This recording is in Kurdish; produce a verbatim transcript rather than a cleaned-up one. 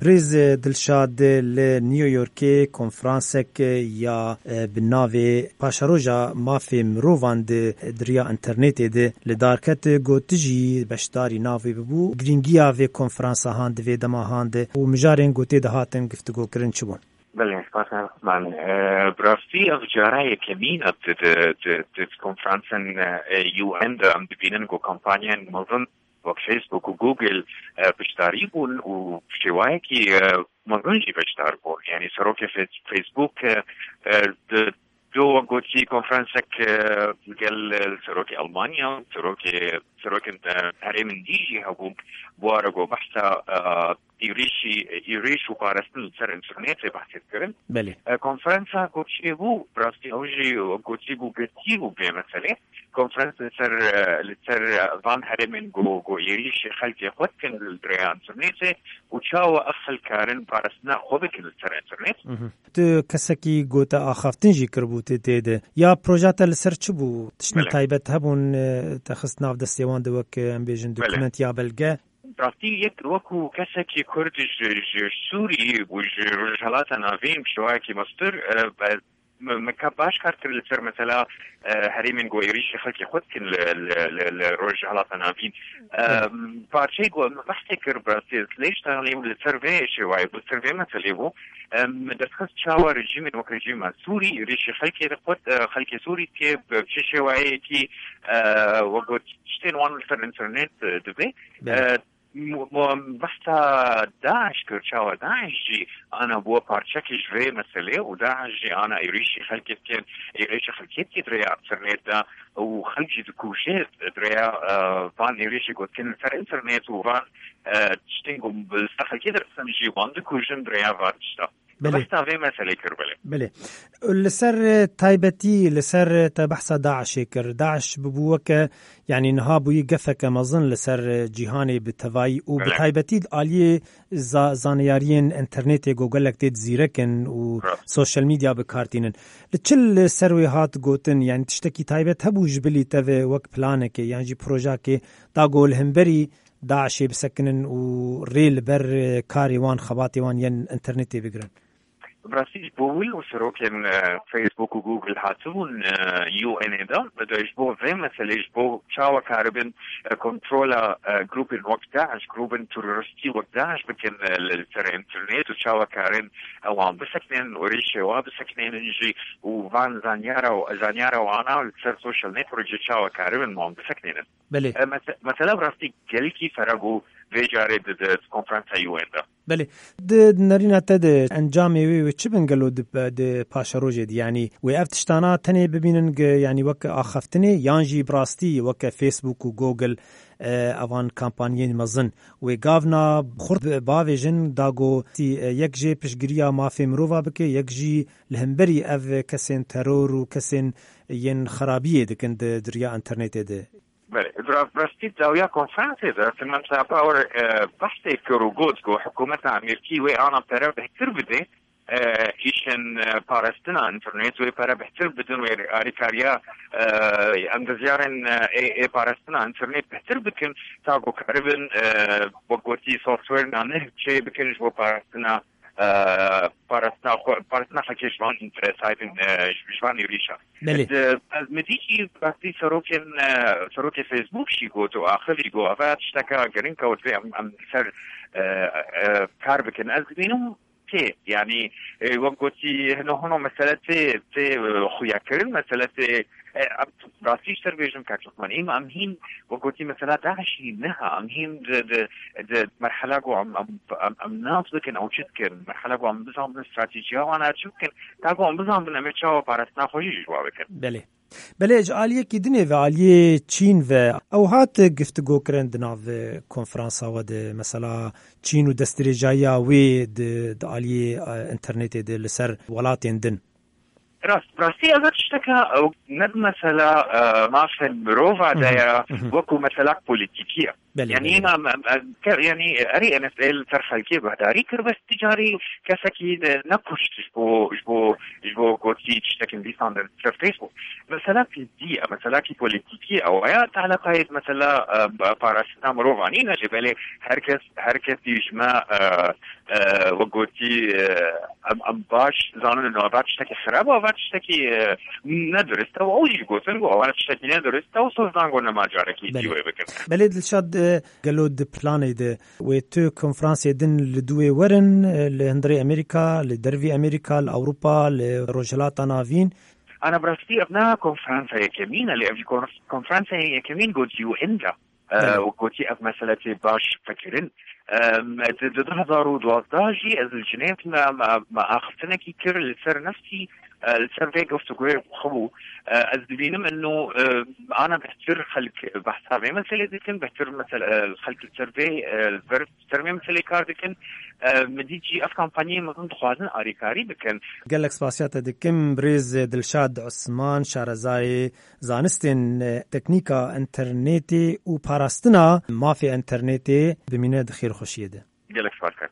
Birêz Dilşad, li New Yorkê konferansek ya, e, bi navê Paşeroja Mafê Mirovan di, di riya înternetê de li dar ket, got tu jî beşdarî navê bibû. Girîngiya vê konferansa han di vê dema han de û mijarên ku tê de hatin giftigokirin çi bûn? Belê, spas Osman. E, bi rastî ev cara yekemîn e di, di, di, di konferansên, e, U N de em dibînin ku kampanyên mezin wek Facebook û Google, e, beşdarî bûn û bi şêwayekî, e, mezin jî beşdar bûn. Yanî serokê Fe-, Facebook, e, e, di, do wek gotî konferansek, e, gel, e, serokê Almanya, serokê, serokên, e, herêmên dî jî hebûn, bi ware ku behsa, e, êrîşî, êrîş û parastin li ser înternetê behsê dikirin. Belê. E, konferansa ku çêbû, bi rastî ew jî gotî bû girtî bû vê meselê. Konferans li ser, e, li ser, e, van herêmên ku, ku êrîşê xelkê xwe dikin li rêya înternetê û çawa ev xelk karin parastina xwe bikin li ser înternet. Mhm. Tu kesekî ku te axaftin jî kiribû tê, tê de. Ya proja te li ser çi bû? Tiştên Belê. taybet hebûn, e, te xist nav destê wan de wek, e, em bêjin Belê. dokument ya belge? Rastî yek wekû kesekî Kurd ji, ji Sûrî û ji Rojhelata Navîn bi şewayekî mestir, e, be-, me, me ka baş kar kir li ser mesela, e, herêmên ku êrîşê xelkê xwe dikin li, li, li, li Rojhelata Navîn. E, Evet. parçeyê ku me behsê kir bi rastî lê ji tanî li ser vê şêwayê bû, ser vê meselê bû. E, me derxist çawa rejîmên wek rejîma Sûrî êrîşê xelkê xwe, e, xelkê Sûrî dike bi çi şêwayekî, e, wek got tiştên wan li ser înternet, e, dibe. Belê. E, Mu-, mu-, behsa DAIŞ kir, çawa DAIŞ jî ana bû parçekî ji vê meselê û DAIŞ jî ana êrîşî xelkê dikin, êrîşî xelkê dike di rêya înternet de û xelk jî dikuje di rêya, e, van êrîşî ku dikin li ser înternet û van, e, tiştên ku li ser xelkê dixin jî wan dikujin di rêya van tişta. Belê. Behsa vê meselê kir, belê. Belê. Li ser, e, taybetî, li ser, e, te behsa DAIŞê kir. DAIŞ bibû weke, yanî niha bûyî gefeke mezin li ser, e, cîhanê bi tevayî û bi Belê. taybetî di aliyê za-, zaneyariyên înternetê ku gelek tê di zîrek in û Rast. sosyal medya bi kar tînin. Li çi li ser wê hat gotin, yanî tiştekî taybet hebû ji bilî te ve wek planekê yan jî projakê da ku li hemberî DAIŞê bisekinin û rê li ber, e, karê wan, xebatê wan yên înternetê bigirin? Bi rastî ji bo wî û serokên, e, Facebook û Google hatibûn, e, U N ê de, de ji bo vê meselê, ji bo çawa karibin, e, kontrola, e, grûpên wek DAIŞ, grûpên terorîstî wek DAIŞ bikin, e, li, li ser înternet û çawa karin, e, wan bisekinin û rêşê wan bisekinin jî û van zanyara, zanyara wana li ser social network jî çawa karibin wan bisekinin. Belê. E, mese-, mesela bi rastî gelkî fere bû vê carê di, di konferansa U N de. Belê. Di nerîna te de encamê wê, wê çi bin gelo di, di paşerojê de? Yanî wê ev tiştana tenê bibînin ge-, yanî weke axaftinê yan jî bi rastî weke Facebook û Google, e, evan kampanyên mezin wê gavna xurt bavêjin da ku tî, e, yek jê piştgiriya mafê mirova bike, yek jî li hemberî ev kesên teror û kesên yên xerabiyê dikin di, di riya înternetê de. Belê, bi ra-, bi rastî dawiya konferansê de Samantha Power, e, behsê kir û got ku hikûmeta Amerîkî wê ana pere bihtir bidê, e, îşên, e, parastina înternet wê pere bihtir bidin, wê alîkariya, e, endezyarên, e, ê, ê parastina înternet bihtir bikin, ta ku karibin, e, wek gotî software naneh çê bikin ji bo parastina e, parastina xwe, parastina xelkê ji van, e, saytên, e, ji, ji van êrîşa. Belê. Di, ez mi dî jî rastî serokên, e, serokê Facebook jî got û axivî got, eva tişteka giring e û divê em, em li ser, e, e, kar bikin. Ez dibînim tê, yanî, e, wek gotî, hino hino mesele tê, tê, e, xuyakirin, mesele tê, e, em rastî ji te re bêjim, kak Osman, êma em hîn wek gotî mesela DAIŞ jî niha, em hîn di, di, di merhela ku em, em, em, em nas bikin, ew çi dikin, merhela ku em bizanbin stratejiya wan a çi bikin, ta ku em bizanbin em ê çawa parastina xwe jî ji wan bikin. Belê. Belê, ji aliyekî dinê ve, aliyê Çîn ve, ew hat giftigokirin di nav konferansa we de, mesela Çîn û destdirêjahiya wê di, di aliyê, e, înternetê de li ser welatên din. Rast, rastî ev tişteke ew ne bi mesela, e, mafên mirova de ya, wekû meselak polîtîkî ye. Belê, yanî belê. Em, em, em, ke-, yanî erê N S A li ser xelkê bedarî kir, bes ti carî kesekî ne, nekuşt ji bo, ji bo, ji bo gotî tiştekin dîsan li ser Facebook. Meselakî dî ye, meselakî polîtîkî ye, ew ya teleqayê mesela, e, parastina mirova nîne jî, belê her kes, her kes dî ji me, e, e, wek gotî, e, em, em baş zanin, ava tiştekî xerab, ava tiştekî, e, nedurist e, û ew jî gotin ku ava tiştekî nedurist e, û soz dan ku nema carekî dî wê bikin. Belê Dilşad, e, gelo di planê de wê tu konferansê din li dû wê werin, e, li hundirê Amerîka, li dervî Amerîka, li Ewropa, li Rojhilata Navîn? Ana bi rastî ev ne konferansa yekemîn e, lê ev jî konf-, konferansa yekemîn gotî û inda. Belê. Wek gotî, ev mesele tê baş fikirin. Em, di, di du hezar û duwazdeh jî ez li Cinêv me, me, me axiftinekî kir li ser neftî, e, li ser vê guftugûyê xwe bû. E, ez dibînim eno, e, ana bêhtir xelk behsa vê meselê dikin, bêhtir mesele, e, xelk li ser vê, e, li ber ser vê meselê kar dikin. E, min dît jî ev kampanyayê mezin dixwazin alîkarî bikin. Gelek spasiya te dikim, birêz Dilşad Osman, şarezayê zanistên, e, teknîka înternetê û parastina mafê înternetê, bimîne di xêrxweşiyê de. Gelek spas, kak.